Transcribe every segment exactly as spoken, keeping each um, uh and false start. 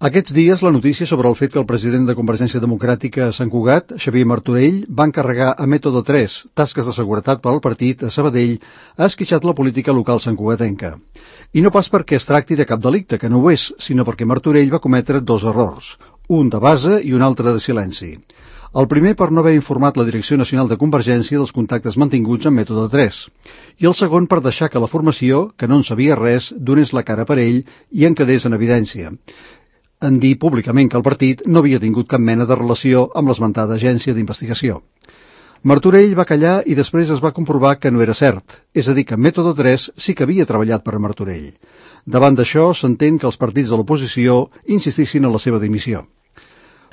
Aquests dies, la notícia sobre el fet que el president de Convergència Democràtica a Sant Cugat, Xavier Martorell, va encarregar a Mètode tres tasques de seguretat per al partit a Sabadell, ha esquitxat la política local santcugatenca. I no pas perquè es tracti de cap delicte, que no ho és, sinó perquè Martorell va cometre dos errors, un de base i un altre de silenci. El primer per no haver informat la Direcció Nacional de Convergència dels contactes mantinguts amb Mètode tres, i el segon per deixar que la formació, que no en sabia res, donés la cara per ell i en quedés en evidència, en dir públicament que el partit no havia tingut cap mena de relació amb l'esmentada agència d'investigació. Martorell va callar i després es va comprovar que no era cert, és a dir, que Mètode tres sí que havia treballat per a Martorell. Davant d'això, s'entén que els partits de l'oposició insistissin en la seva dimissió.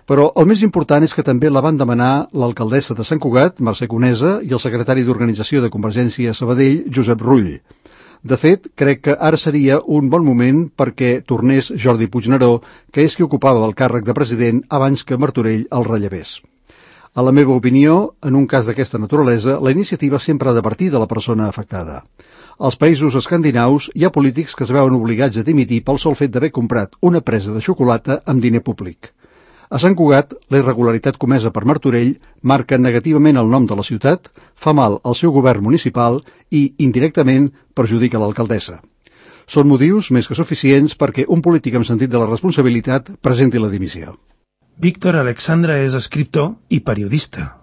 Però el més important és que també la van demanar l'alcaldessa de Sant Cugat, Mercè Conesa, i el secretari d'Organització de Convergència a Sabadell, Josep Rull. De fet, crec que ara seria un bon moment perquè tornés Jordi Puigneró, que és qui ocupava el càrrec de president abans que Martorell el rellevés. A la meva opinió, en un cas d'aquesta naturalesa, la iniciativa sempre ha de partir de la persona afectada. Als països escandinaus hi ha polítics que es veuen obligats a dimitir pel sol fet d'haver comprat una presa de xocolata amb diner públic. A Sant Cugat, la irregularitat comesa per Martorell marca negativament el nom de la ciutat, fa mal al seu govern municipal i, indirectament, perjudica l'alcaldessa. Són motius més que suficients perquè un polític amb sentit de la responsabilitat presenti la dimissió. Víctor Alexandra és escriptor i periodista.